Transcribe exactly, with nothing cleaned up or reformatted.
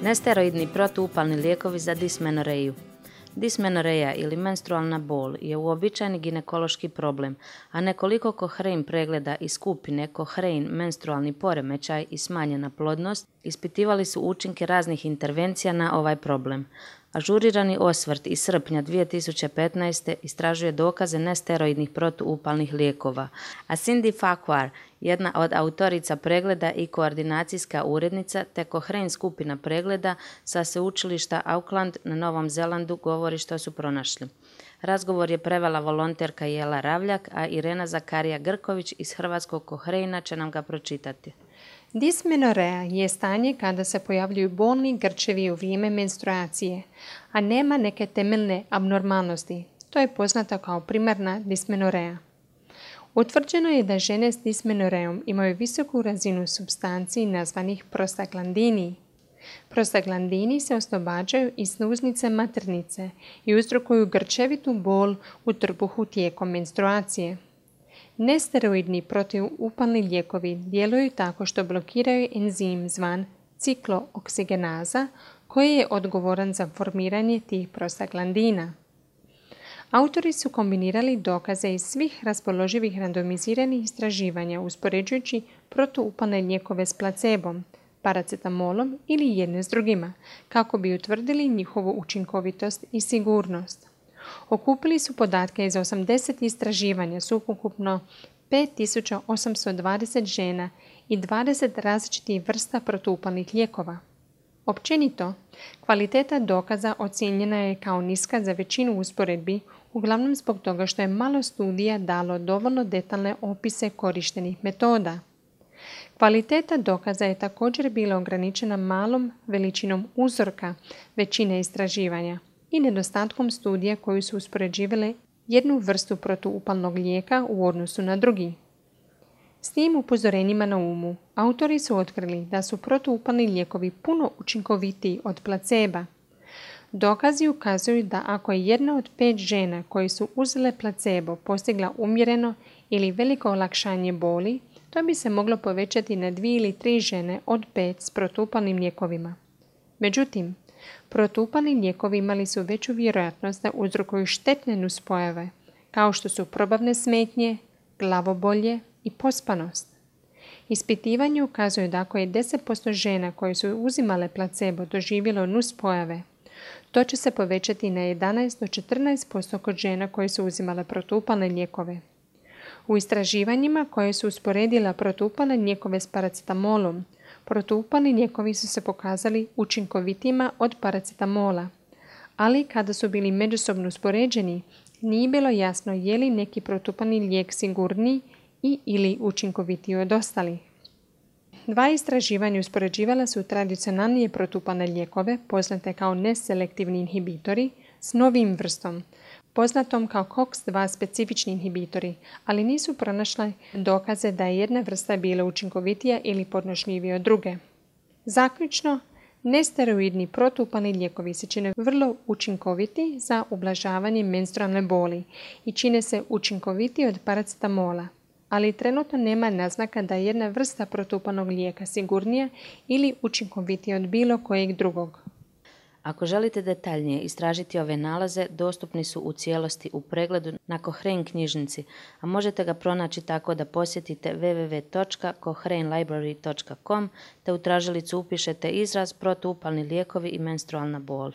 Nesteroidni protuupalni lijekovi za dismenoreju. Dismenoreja ili menstrualna bol je uobičajeni ginekološki problem, a nekoliko Cochrane pregleda iz skupine Cochrane menstrualni poremećaj i smanjena plodnost ispitivali su učinke raznih intervencija na ovaj problem. Ažurirani osvrt iz srpnja dvije tisuće petnaeste. istražuje dokaze nesteroidnih protuupalnih lijekova, a Cindy Farquhar, jedna od autorica pregleda i koordinacijska urednica te Cochrane skupina pregleda sa sveučilišta Auckland na Novom Zelandu, govori što su pronašli. Razgovor je prevela volonterka Jela Ravljak, a Irena Zakarija Grković iz Hrvatskog Cochrane će nam ga pročitati. Dismenorea je stanje kada se pojavljuju bolni grčevi u vrijeme menstruacije, a nema neke temeljne abnormalnosti. To je poznato kao primarna dismenorea. Utvrđeno je da žene s dismenoreom imaju visoku razinu supstanci nazvanih prostaglandini. Prostaglandini se oslobađaju iz sluznice maternice i uzrokuju grčevitu bol u trbuhu tijekom menstruacije. Nesteroidni protuupalni lijekovi djeluju tako što blokiraju enzim zvan ciklooksigenaza koji je odgovoran za formiranje tih prostaglandina. Autori su kombinirali dokaze iz svih raspoloživih randomiziranih istraživanja uspoređujući protuupalne lijekove s placebom, paracetamolom ili jedne s drugima, kako bi utvrdili njihovu učinkovitost i sigurnost. Okupili su podatke iz osamdeset istraživanja s ukupno pet tisuća osamsto dvadeset žena i dvadeset različitih vrsta protuupalnih lijekova. Općenito, kvaliteta dokaza ocijenjena je kao niska za većinu usporedbi, uglavnom zbog toga što je malo studija dalo dovoljno detaljne opise korištenih metoda. Kvaliteta dokaza je također bila ograničena malom veličinom uzorka većine istraživanja i nedostatkom studija koji su uspoređivale jednu vrstu protuupalnog lijeka u odnosu na drugi. S tim upozorenjima na umu, autori su otkrili da su protuupalni lijekovi puno učinkovitiji od placeba. Dokazi ukazuju da ako je jedna od pet žena koje su uzele placebo postigla umjereno ili veliko olakšanje boli, to bi se moglo povećati na dvije ili tri žene od pet s protuupalnim lijekovima. Međutim, protuupalni lijekovi imali su veću vjerojatnost da uzrokuju štetne nuspojave, kao što su probavne smetnje, glavobolje i pospanost. Ispitivanje ukazuje da ako je deset posto žena koje su uzimale placebo doživjelo nuspojave, to će se povećati na jedanaest do četrnaest posto kod žena koje su uzimale protuupalne lijekove. U istraživanjima koje su usporedila protuupalne lijekove s paracetamolom, protuupalni lijekovi su se pokazali učinkovitima od paracetamola, ali kada su bili međusobno uspoređeni, nije bilo jasno je li neki protuupalni lijek sigurniji i ili učinkovitiji od ostalih. Dva istraživanja uspoređivala su tradicionalnije protuupalne lijekove, poznate kao neselektivni inhibitori, s novim vrstom, poznatom kao C O X dva specifični inhibitori, ali nisu pronašle dokaze da je jedna vrsta bila učinkovitija ili podnošljivija od druge. Zaključno, nesteroidni protuupalni lijekovi se čine vrlo učinkoviti za ublažavanje menstrualne boli i čine se učinkovitiji od paracetamola, ali trenutno nema naznaka da je jedna vrsta protuupalnog lijeka sigurnija ili učinkovitija od bilo kojeg drugog. Ako želite detaljnije istražiti ove nalaze, dostupni su u cijelosti u pregledu na Cochrane knjižnici, a možete ga pronaći tako da posjetite w w w točka cochrane library točka com te u tražilicu upišete izraz protuupalni lijekovi i menstrualna bol.